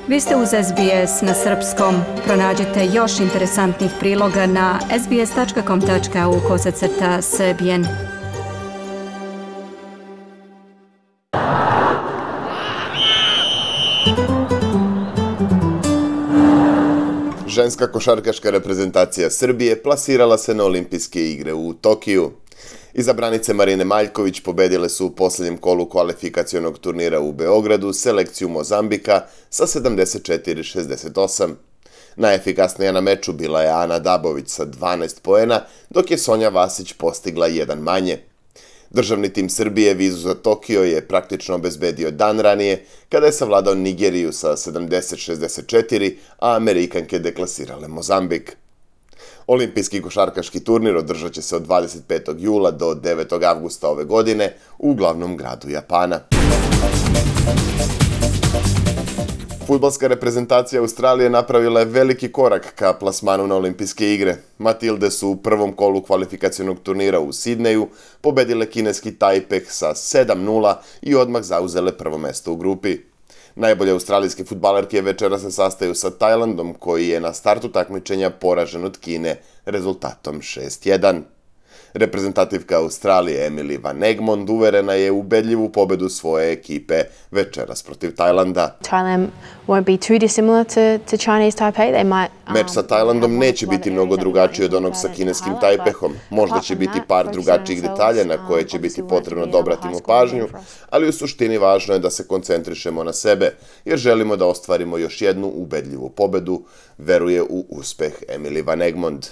Vi ste uz SBS na srpskom. Pronađite još interesantnih priloga na sbs.com.au/srbijen. Ženska košarkaška reprezentacija Srbije plasirala se na olimpijske igre u Tokiju. Izabranice Marine Maljković pobedile su u posljednjem kolu kvalifikacionog turnira u Beogradu selekciju Mozambika sa 74-68. Najefikasnija na meču bila je Ana Dabović sa 12 poena, dok je Sonja Vasić postigla jedan manje. Državni tim Srbije vizu za Tokio je praktično obezbedio dan ranije, kada je savladao Nigeriju sa 70-64, a Amerikanke deklasirale Mozambik. Olimpijski košarkaški turnir održat će se od 25. jula do 9. avgusta ove godine u glavnom gradu Japana. Fudbalska reprezentacija Australije napravila je veliki korak ka plasmanu na olimpijske igre. Matilde su u prvom kolu kvalifikacionog turnira u Sidneju pobedile kineski Taipei sa 7:0 i odmah zauzele prvo mesto u grupi. Najbolje australijske fudbalerke večera se sastaju sa Tajlandom, koji je na startu takmičenja poražen od Kine rezultatom 6:1. Reprezentativka Australije Emily Van Egmond uverena je u ubedljivu pobedu svoje ekipe večeras protiv Tajlanda. Thailand won't be too dissimilar to Chinese Taipei. They might Meč sa Tajlandom neće biti mnogo drugačiji od onog sa kineskim Taipehom. Možda će biti par drugačijih detalja na koje će biti potrebno da obratimo pažnju, ali u suštini važno je da se koncentrišemo na sebe, jer želimo da ostvarimo još jednu ubedljivu pobedu, veruje u uspeh Emily Van Egmond.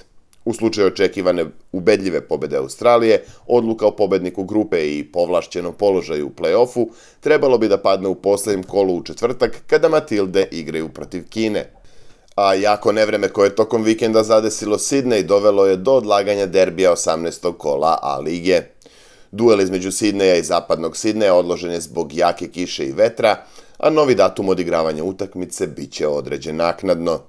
U slučaju očekivane ubedljive pobede Australije, odluka o pobedniku grupe i povlašćenom položaju u play-offu trebalo bi da padne u posljednjem kolu u četvrtak, kada Matilde igraju protiv Kine. A jako nevreme koje je tokom vikenda zadesilo Sidney dovelo je do odlaganja derbija 18. kola A lige. Duel između Sidneja i zapadnog Sidneja odložen je zbog jake kiše i vetra, a novi datum odigravanja utakmice bit će određen naknadno.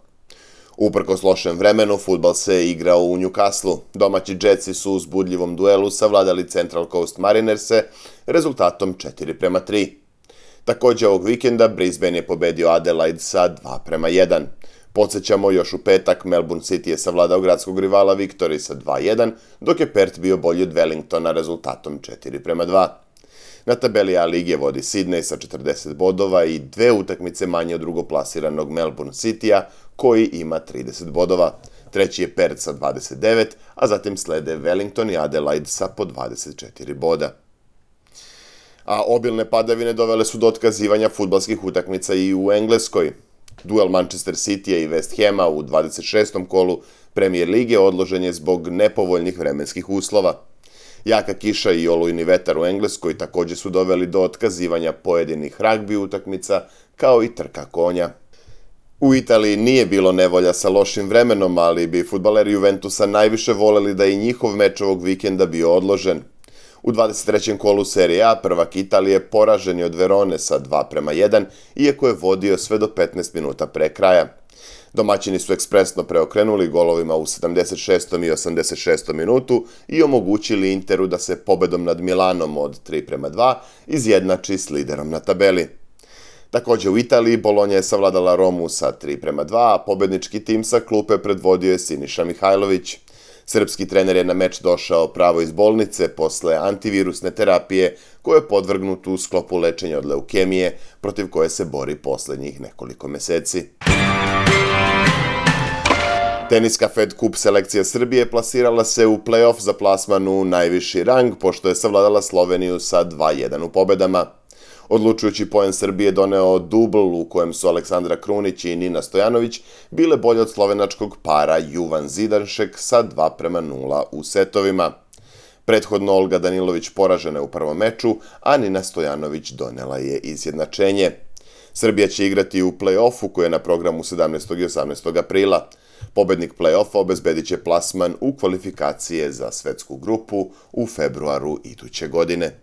Uprkos lošem vremenu, fudbal se igrao u Newcastle. Domaći Jetsi su u uzbudljivom duelu savladali Central Coast Marinerse rezultatom 4:3. Također ovog vikenda Brisbane je pobedio Adelaide sa 2:1. Podsjećamo, još u petak Melbourne City je savladao gradskog rivala Victory sa 2:1, dok je Perth bio bolji od Wellingtona rezultatom 4:2. Na tabeli A lige vodi Sydney sa 40 bodova i 2 utakmice manje od drugoplasiranog Melbourne Citya, koji ima 30 bodova. Treći je Perth sa 29, a zatim slede Wellington i Adelaide sa po 24 boda. A obilne padavine dovele su do otkazivanja fudbalskih utakmica i u Engleskoj. Duel Manchester Citya i West Hama u 26. kolu Premier lige odložen je zbog nepovoljnih vremenskih uslova. Jaka kiša i olujni vetar u Engleskoj također su doveli do otkazivanja pojedinih ragbi utakmica, kao i trka konja. U Italiji nije bilo nevolja sa lošim vremenom, ali bi fudbaleri Juventusa najviše voleli da i njihov meč ovog vikenda bio odložen. U 23. kolu Serie A prvak Italije poražen je od Verone sa 2:1, iako je vodio sve do 15 minuta pre kraja. Domaćini su ekspresno preokrenuli golovima u 76. i 86. minutu i omogućili Interu da se pobedom nad Milanom od 3:2 izjednači s liderom na tabeli. Također u Italiji Bolonja je savladala Romu sa 3:2, a pobednički tim sa klupe predvodio je Siniša Mihajlović. Srpski trener je na meč došao pravo iz bolnice posle antivirusne terapije koju je podvrgnut u sklopu lečenja od leukemije, protiv koje se bori posljednjih nekoliko meseci. Teniska Fed Cup selekcija Srbije plasirala se u play-off za plasman u najviši rang, pošto je savladala Sloveniju sa 2:1 u pobedama. Odlučujući poen Srbije doneo dubl u kojem su Aleksandra Krunić i Nina Stojanović bile bolje od slovenačkog para Juvan Zidanšek sa 2:0 u setovima. Prethodno Olga Danilović poražena je u prvom meču, a Nina Stojanović donela je izjednačenje. Srbija će igrati u play-offu koji je na programu 17. i 18. aprila. Pobednik play-offa obezbedit će plasman u kvalifikacije za svetsku grupu u februaru iduće godine.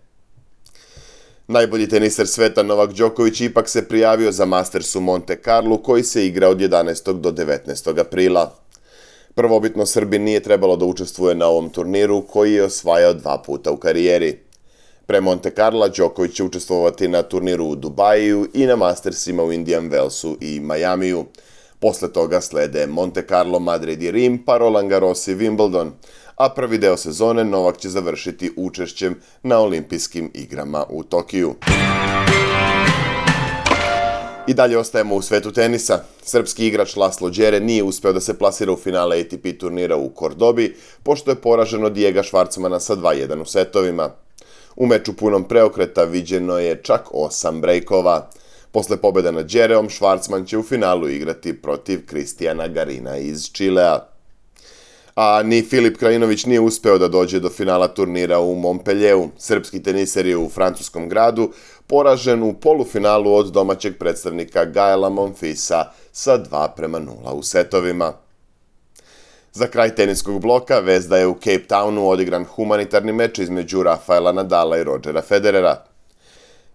Najbolji teniser sveta Novak Đoković ipak se prijavio za Masters u Monte Carlu koji se igra od 11. do 19. aprila. Prvobitno Srbin nije trebalo da učestvuje na ovom turniru koji je osvajao 2 puta u karijeri. Pre Monte Carla, Đoković će učestvovati na turniru u Dubaju i na Mastersima u Indian Wellsu i Majamiju. Posle toga slede Monte Carlo, Madrid i Rim, pa Roland Garros i Wimbledon, a prvi deo sezone Novak će završiti učešćem na olimpijskim igrama u Tokiju. I dalje ostajemo u svetu tenisa. Srpski igrač Laslo Đere nije uspeo da se plasira u finale ATP turnira u Kordobi, pošto je poražen od Dijega Švarcmana sa 2:1 u setovima. U meču punom preokreta viđeno je čak 8 brejkova. Posle pobjede nad Đereom, Švarcman će u finalu igrati protiv Kristijana Garina iz Čilea. A ni Filip Krajinović nije uspeo da dođe do finala turnira u Montpellieru. Srpski teniser je u francuskom gradu poražen u polufinalu od domaćeg predstavnika Gaela Monfilsa sa 2:0 u setovima. Za kraj teniskog bloka vest da je u Cape Townu odigran humanitarni meč između Rafaela Nadala i Rodgera Federera.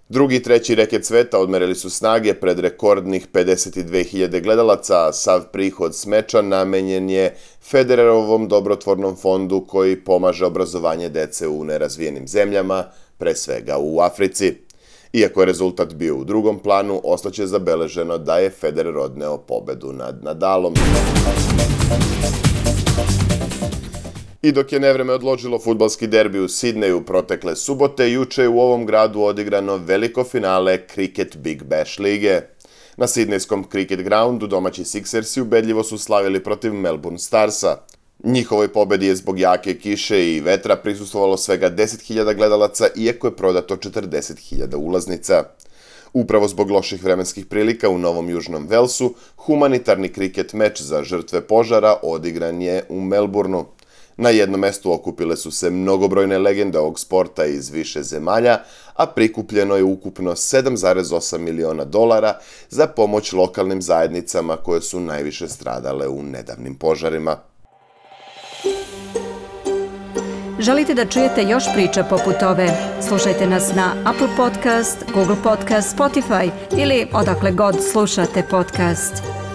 Drugi i treći reket sveta odmerili su snage pred rekordnih 52.000 gledalaca, a sav prihod s meča namenjen je Federerovom dobrotvornom fondu koji pomaže obrazovanje dece u nerazvijenim zemljama, pre svega u Africi. Iako je rezultat bio u drugom planu, ostaće zabeleženo da je Federer odneo pobedu nad Nadalom. I dok je nevreme odložilo fudbalski derbi u Sidneju protekle subote, juče je u ovom gradu odigrano veliko finale Cricket Big Bash lige. Na sidnejskom Cricket Groundu domaći Sixersi ubedljivo su slavili protiv Melbourne Starsa. Njihovoj pobedi je zbog jake kiše i vetra prisustvovalo svega 10.000 gledalaca, iako je prodato 40.000 ulaznica. Upravo zbog loših vremenskih prilika u Novom Južnom Velsu, humanitarni kriket meč za žrtve požara odigran je u Melbourneu. Na jednom mestu okupile su se mnogobrojne legende ovog sporta iz više zemalja, a prikupljeno je ukupno $7,8 miliona za pomoć lokalnim zajednicama koje su najviše stradale u nedavnim požarima. Želite da čujete još priča poput ove? Slušajte nas na Apple Podcast, Google Podcast, Spotify ili odakle god slušate podcast.